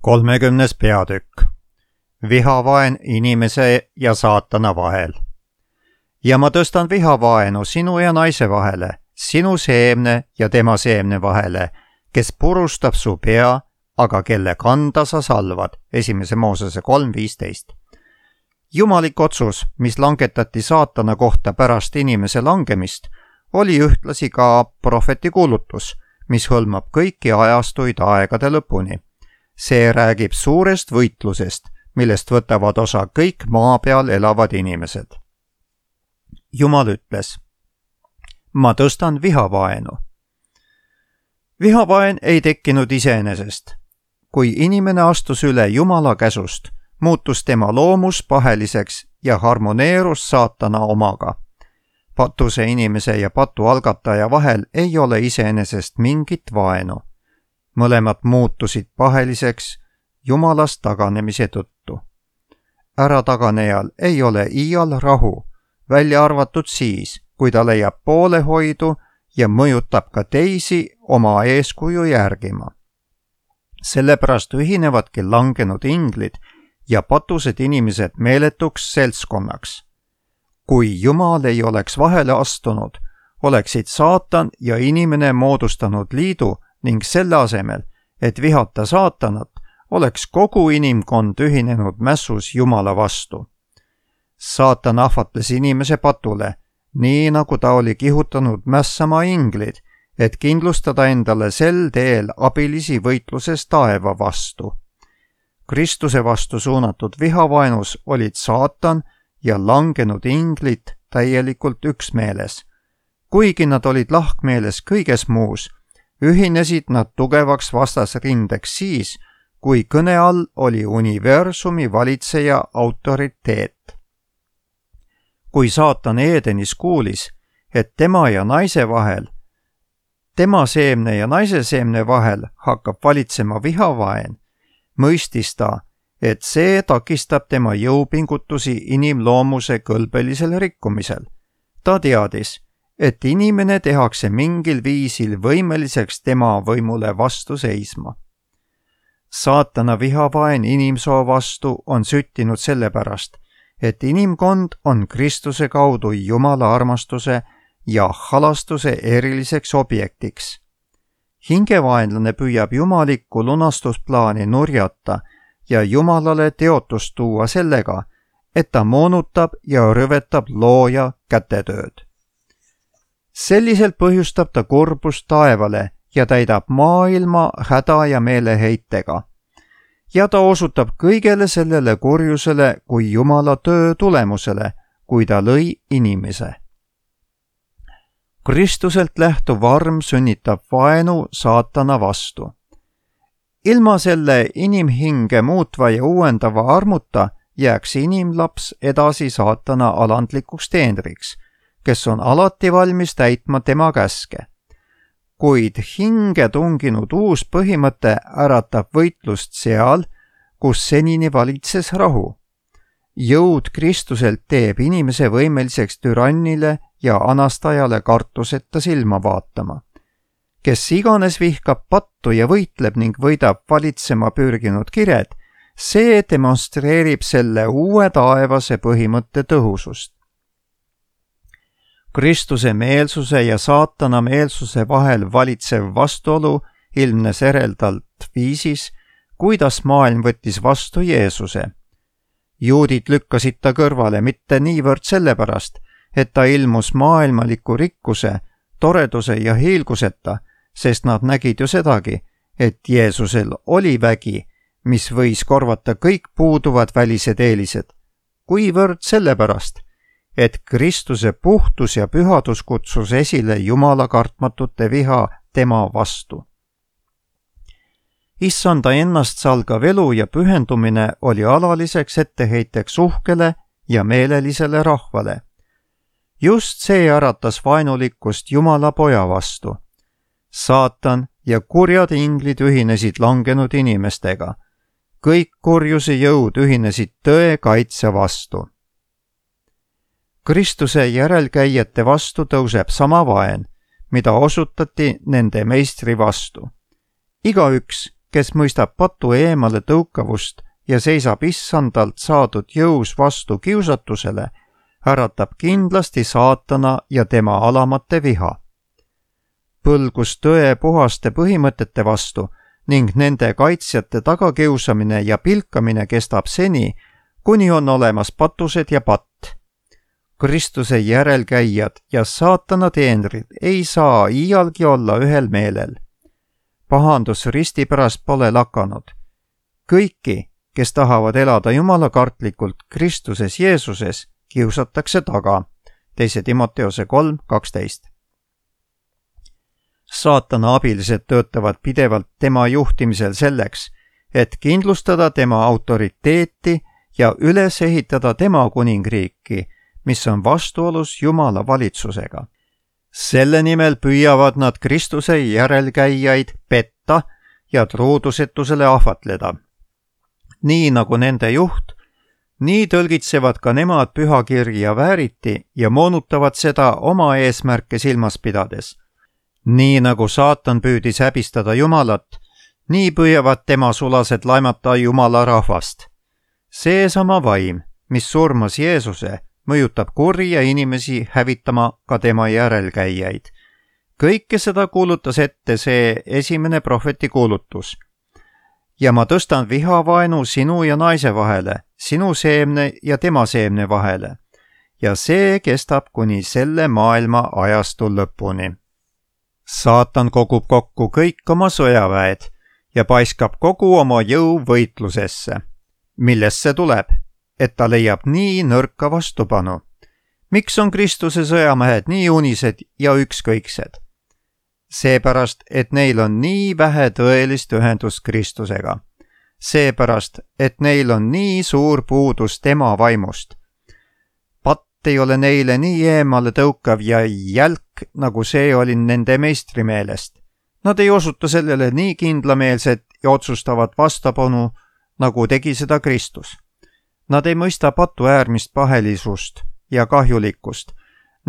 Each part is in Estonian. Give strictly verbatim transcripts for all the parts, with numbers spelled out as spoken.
kolmekümnes peatükk. Vihavaen inimese ja saatana vahel. Ja ma tõstan vihavaenu sinu ja naise vahele, sinu seemne ja tema seemne vahele, kes purustab su pea, aga kelle kanda sa salvad. Esimese Moosese kolm viisteist. Jumalik otsus, mis langetati saatana kohta pärast inimese langemist, oli ühtlasi ka prohveti kuulutus, mis hõlmab kõiki ajastuid aegade lõpuni. See räägib suurest võitlusest, millest võtavad osa kõik maa peal elavad inimesed. Jumal ütles, ma tõstan vihavaenu. Vihavaen ei tekkinud iseenesest. Kui inimene astus üle Jumala käsust, muutus tema loomus paheliseks ja harmoneerus saatana omaga. Patuse inimese ja patu algataja vahel ei ole iseenesest mingit vaenu. Mõlemad muutusid paheliseks Jumalast taganemise tõttu. Ärataganejal ei ole iial rahu, välja arvatud siis, kui ta leiab poolehoidu ja mõjutab ka teisi oma eeskuju järgima. Sellepärast ühinevadki langenud inglid ja patused inimesed meeletuks seltskonnaks. Kui Jumal ei oleks vahele astunud, oleksid saatan ja inimene moodustanud liidu ning selle asemel, et vihata saatanat, oleks kogu inimkond ühinenud mässus Jumala vastu. Saatan ahvatles inimese patule, nii nagu ta oli kihutanud mässama inglid, et kindlustada endale sel teel abilisi võitluses taeva vastu. Kristuse vastu suunatud vihavaenus olid saatan ja langenud inglid täielikult üksmeeles. Kuigi nad olid lahkmeeles kõiges muus, ühinesid nad tugevaks vastasrindeks siis, kui kõne all oli universumi valitseja autoriteet. Kui saatan Eedenis kuulis, et tema ja naise vahel, tema seemne ja naise seemne vahel hakkab valitsema vihavaen, mõistis ta, et see takistab tema jõupingutusi inimloomuse kõlbelisel rikkumisel. Ta teadis, et inimene tehakse mingil viisil võimeliseks tema võimule vastu seisma. Saatana vihavaen inimsoo vastu on süttinud sellepärast, et inimkond on Kristuse kaudu Jumala armastuse ja halastuse eriliseks objektiks. Hingevaenlane püüab jumalikku lunastusplaani nurjata ja Jumalale teotust tuua sellega, et ta moonutab ja rõvetab looja kätetööd. Selliselt põhjustab ta kurbust taevale ja täidab maailma häda ja meeleheitega. Ja ta osutab kõigele sellele kurjusele kui Jumala töö tulemusele, kui ta lõi inimese. Kristuselt lähtuv arm sünnitab vaenu saatana vastu. Ilma selle inimhinge muutva ja uuendava armuta jääks inimlaps edasi saatana alandlikuks teenriks, kes on alati valmis täitma tema käske. Kuid hinge tunginud uus põhimõte äratab võitlust seal, kus senini valitses rahu. Jõud Kristuselt teeb inimese võimeliseks türannile ja anastajale kartuseta silma vaatama. Kes iganes vihkab pattu ja võitleb ning võidab valitsema pürginud kired, see demonstreerib selle uue taevase põhimõtte tõhusust. Kristuse meelsuse ja saatana meelsuse vahel valitsev vastuolu ilmnes ereldalt viisis, kuidas maailm võttis vastu Jeesuse. Juudid lükkasid ta kõrvale mitte niivõrd sellepärast, et ta ilmus maailmaliku rikkuse, toreduse ja hiilguseta, sest nad nägid ju sedagi, et Jeesusel oli vägi, mis võis korvata kõik puuduvad välised eelised, kuivõrd sellepärast, et Kristuse puhtus ja pühadus kutsus esile Jumala kartmatute viha tema vastu. Issanda ennast salgav elu ja pühendumine oli alaliseks etteheiteks uhkele ja meelelisele rahvale. Just see äratas vaenulikkust Jumala poja vastu. Saatan ja kurjad inglid ühinesid langenud inimestega. Kõik kurjuse jõud ühinesid tõe kaitse vastu. Kristuse järelkäijate vastu tõuseb sama vaen, mida osutati nende meistri vastu. Igaüks, kes mõistab patu eemale tõukavust ja seisab issandalt saadud jõus vastu kiusatusele, äratab kindlasti saatana ja tema alamate viha. Põlgus tõe puhaste põhimõtete vastu ning nende kaitsjate tagakiusamine ja pilkamine kestab seni, kuni on olemas patused ja patt. Kristuse järelkäijad ja saatana teenrid ei saa iialgi olla ühel meelel. Pahandus risti pärast pole lakanud. Kõiki, kes tahavad elada jumalakartlikult Kristuses Jeesuses, kiusatakse taga. teise Timoteose kolm kaksteist. Saatana abilised töötavad pidevalt tema juhtimisel selleks, et kindlustada tema autoriteeti ja üles ehitada tema kuningriiki, mis on vastuolus Jumala valitsusega. Selle nimel püüavad nad Kristuse järelkäijaid petta ja truudusetusele ahvatleda. Nii nagu nende juht, nii tõlgitsevad ka nemad pühakirja vääriti ja moonutavad seda oma eesmärke silmas pidades. Nii nagu saatan püüdis häbistada Jumalat, nii püüavad tema sulased laimata Jumala rahvast. Seesama vaim, mis surmas Jeesuse, mõjutab kurja inimesi hävitama ka tema järelkäijaid. Kõike seda kuulutas ette see esimene prohveti kuulutus. Ja ma tõstan vihavaenu sinu ja naise vahele, sinu seemne ja tema seemne vahele. Ja see kestab kuni selle maailma ajastu lõpuni. Saatan kogub kokku kõik oma sõjaväed ja paiskab kogu oma jõu võitlusesse. Millest see tuleb? Et ta leiab nii nõrka vastupanu. Miks on Kristuse sõjamehed nii unised ja ükskõiksed? Seepärast, et neil on nii vähe tõelist ühendust Kristusega. Seepärast, et neil on nii suur puudus tema vaimust. Patt ei ole neile nii eemale tõukav ja jälk, nagu see oli nende meistri meelest. Nad ei osuta sellele nii kindlameelset ja otsustavat vastapanu, nagu tegi seda Kristus. Nad ei mõista patu äärmist pahelisust ja kahjulikkust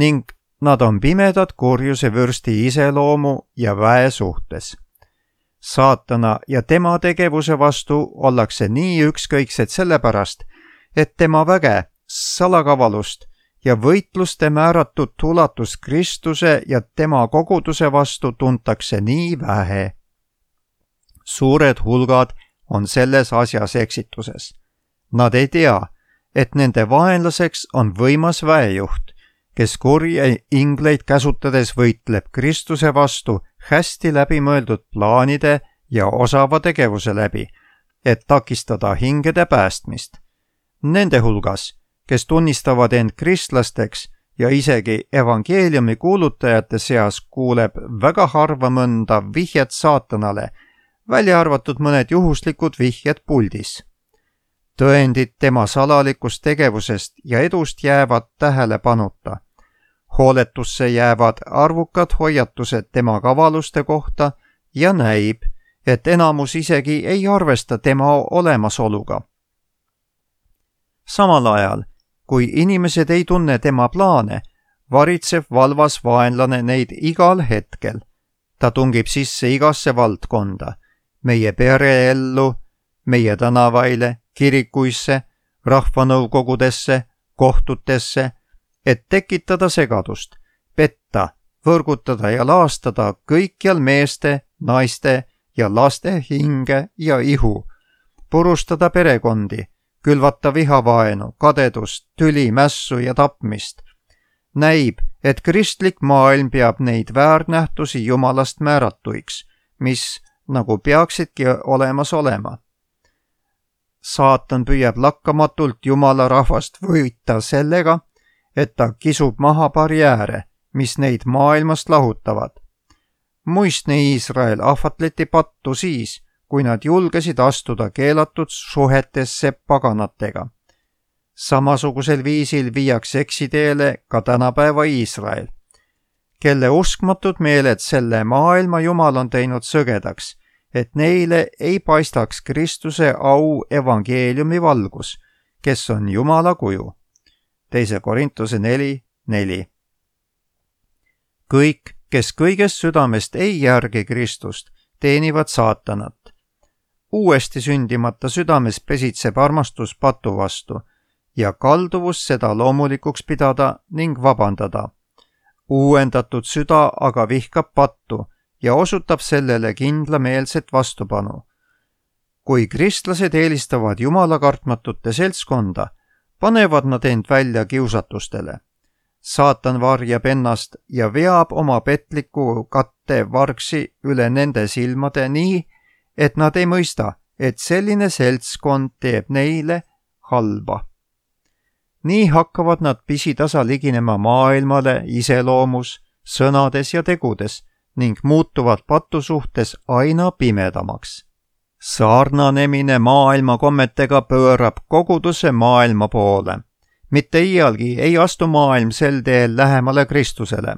ning nad on pimedad kurjuse vürsti iseloomu ja väe suhtes. Saatana ja tema tegevuse vastu ollakse nii ükskõiksed sellepärast, et tema väge, salakavalust ja võitluste määratud ulatus Kristuse ja tema koguduse vastu tuntakse nii vähe. Suured hulgad on selles asjas eksituses. Nad ei tea, et nende vaenlaseks on võimas väejuht, kes kurje ingleid käsutades võitleb Kristuse vastu hästi läbimõeldud plaanide ja osava tegevuse läbi, et takistada hingede päästmist. Nende hulgas, kes tunnistavad end kristlasteks ja isegi evangeeliumi kuulutajate seas kuuleb väga harva mõnda vihjet saatanale, välja arvatud mõned juhuslikud vihjed puldis. Tõendid tema salalikust tegevusest ja edust jäävad tähelepanuta. Hooletusse jäävad arvukad hoiatused tema kavaluste kohta ja näib, et enamus isegi ei arvesta tema olemasoluga. Samal ajal, kui inimesed ei tunne tema plaane, varitseb valvas vaenlane neid igal hetkel. Ta tungib sisse igasse valdkonda, meie pereellu, meie tänavaile, kirikuisse, rahvanõukogudesse, kohtutesse, et tekitada segadust, petta, võrgutada ja laastada kõikjal meeste, naiste ja laste hinge ja ihu, purustada perekondi, külvata vihavaenu, kadedust, tüli, mässu ja tapmist. Näib, et kristlik maailm peab neid väärnähtusi Jumalast määratuiks, mis nagu peaksidki olemas olema. Saatan püüab lakkamatult Jumala rahvast võita sellega, et ta kisub maha barjääre, mis neid maailmast lahutavad. Muistne Iisrael ahvatleti pattu siis, kui nad julgesid astuda keelatud suhetesse paganatega. Samasugusel viisil viiakse eksiteele ka tänapäeva Iisrael, kelle uskmatud meeled selle maailma Jumal on teinud sõgedaks, et neile ei paistaks Kristuse au evangeeliumi valgus, kes on Jumala kuju. teise Korintuse neli neli. Kõik, kes kõigest südamest ei järgi Kristust, teenivad saatanat. uuesti sündimata südames pesitseb armastus patu vastu ja kalduvus seda loomulikuks pidada ning vabandada. Uuendatud süda aga vihkab pattu ja osutab sellele kindlameelset vastupanu. Kui kristlased eelistavad Jumala kartmatute seltskonda, panevad nad end välja kiusatustele. Saatan varjab ennast ja veab oma petliku katte vargsi üle nende silmade nii, et nad ei mõista, et selline seltskond teeb neile halba. Nii hakkavad nad pisitasa liginema maailmale iseloomus, sõnades ja tegudes ning muutuvad patu suhtes aina pimedamaks. Sarnanemine maailma kommetega pöörab koguduse maailma poole. Mitte iialgi ei astu maailm sel teel lähemale Kristusele.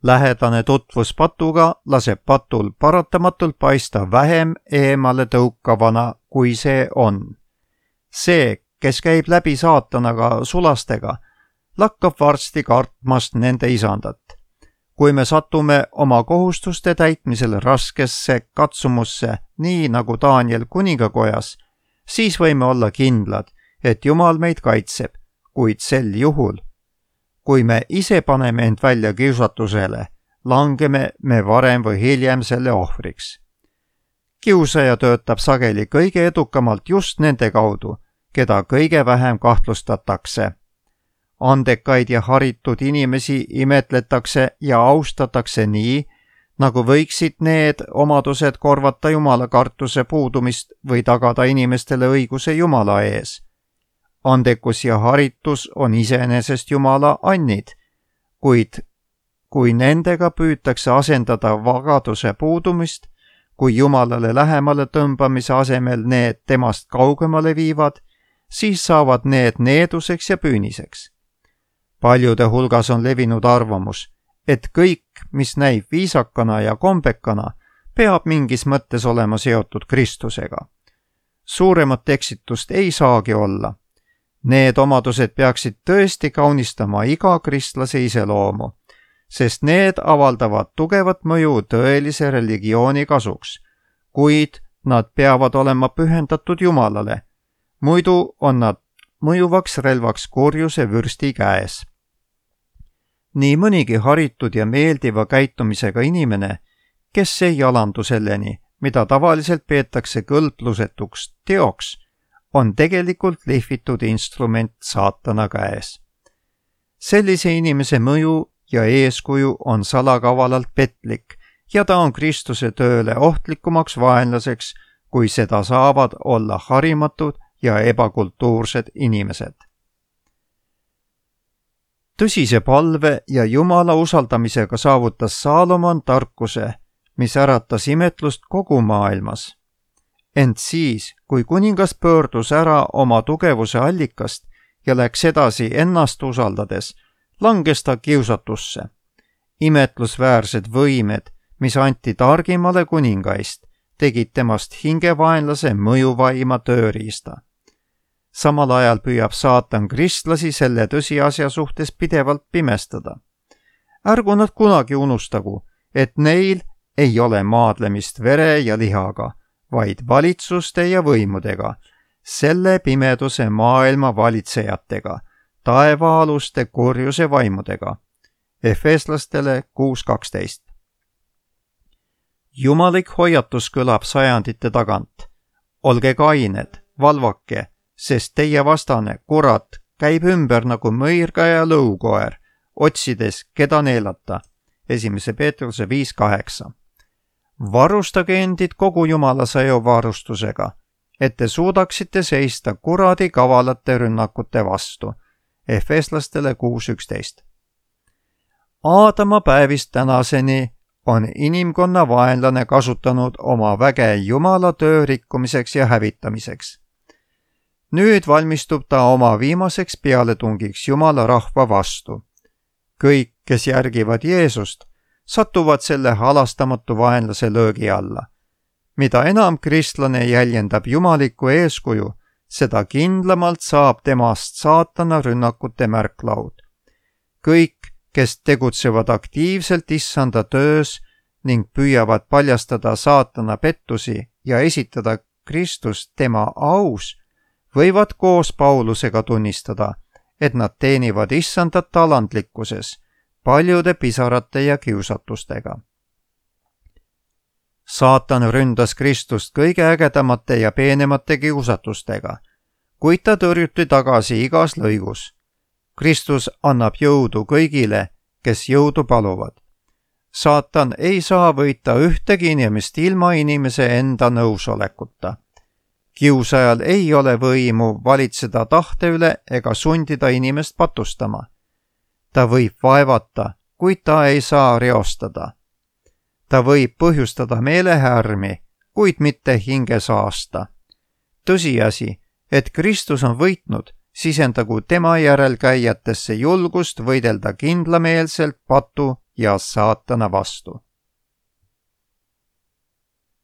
Lähedane tutvus patuga laseb patul paratamatult paista vähem eemale tõukavana, kui see on. See, kes käib läbi saatanaga sulastega, lakkab varsti kartmast nende isandat. Kui me satume oma kohustuste täitmisel raskesse katsumusse, nii nagu Daniel kuningakojas, siis võime olla kindlad, et Jumal meid kaitseb, kuid sel juhul, kui me ise paneme end välja kiusatusele, langeme me varem või hiljem selle ohvriks. Kiusaja töötab sageli kõige edukamalt just nende kaudu, keda kõige vähem kahtlustatakse. Andekaid ja haritud inimesi imetletakse ja austatakse nii, nagu võiksid need omadused korvata Jumala kartuse puudumist või tagada inimestele õiguse Jumala ees. Andekus ja haritus on iseenesest Jumala annid, kuid kui nendega püütakse asendada vagaduse puudumist, kui Jumalale lähemale tõmbamise asemel need temast kaugemale viivad, siis saavad need needuseks ja püüniseks. Paljude hulgas on levinud arvamus, et kõik, mis näib viisakana ja kombekana, peab mingis mõttes olema seotud Kristusega. Suuremat eksitust ei saagi olla. Need omadused peaksid tõesti kaunistama iga kristlase iseloomu, sest need avaldavad tugevat mõju tõelise religiooni kasuks, kuid nad peavad olema pühendatud Jumalale. Muidu on nad mõjuvaks relvaks kurjuse vürsti käes. Nii mõnigi haritud ja meeldiva käitumisega inimene, kes ei alandu selleni, mida tavaliselt peetakse kõlblusetuks teoks, on tegelikult lihvitud instrument saatana käes. Sellise inimese mõju ja eeskuju on salakavalalt petlik ja ta on Kristuse tööle ohtlikumaks vaenlaseks, kui seda saavad olla harimatud ja ebakultuursed inimesed. Tõsise palve ja Jumala usaldamisega saavutas Saalomon tarkuse, mis äratas imetlust kogu maailmas. Ent siis, kui kuningas pöördus ära oma tugevuse allikast ja läks edasi ennast usaldades, langes ta kiusatusse. Imetlusväärsed võimed, mis anti targimale kuningaist, tegid temast hingevaenlase mõjuvaima tööriista. Samal ajal püüab saatan kristlasi selle tõsiasja suhtes pidevalt pimestada. Ärgu nad kunagi unustagu, et neil ei ole maadlemist vere ja lihaga, vaid valitsuste ja võimudega, selle pimeduse maailma valitsejatega, taevaaluste kurjuse vaimudega. Efeslastele kuus kaksteist. Jumalik hoiatus kõlab sajandite tagant. Olge kained, valvake, sest teie vastane, kurat, käib ümber nagu mõirga ja lõukoer, otsides, keda neelata. Esimese Peetruse viis kaheksa. Varustage endid kogu Jumala sõjavarustusega, et te suudaksite seista kuradi kavalate rünnakute vastu. Efeslastele kuus üksteist. Aadama päevist tänaseni on inimkonna vaenlane kasutanud oma väge Jumala töö rikkumiseks ja hävitamiseks. Nüüd valmistub ta oma viimaseks pealetungiks Jumala rahva vastu. Kõik, kes järgivad Jeesust, satuvad selle halastamatu vaenlase löögi alla. Mida enam kristlane jäljendab jumalikku eeskuju, seda kindlamalt saab temast saatana rünnakute märklaud. Kõik, kes tegutsevad aktiivselt issanda töös ning püüavad paljastada saatana pettusi ja esitada Kristus tema aus, võivad koos Paulusega tunnistada, et nad teenivad issandat alandlikkuses, paljude pisarate ja kiusatustega. Saatan ründas Kristust kõige ägedamate ja peenemate kiusatustega, kuid ta tõrjuti tagasi igas lõigus. Kristus annab jõudu kõigile, kes jõudu paluvad. Saatan ei saa võita ühtegi inimest ilma inimese enda nõusolekuta. Kiusajal ei ole võimu valitseda tahte üle ega sundida inimest patustama. Ta võib vaevata, kuid ta ei saa reostada. Ta võib põhjustada meelehärmi, kuid mitte hinge saasta. Tõsiasi, et Kristus on võitnud, sisendagu tema järelkäijatesse julgust võidelda kindlameelselt patu ja saatana vastu.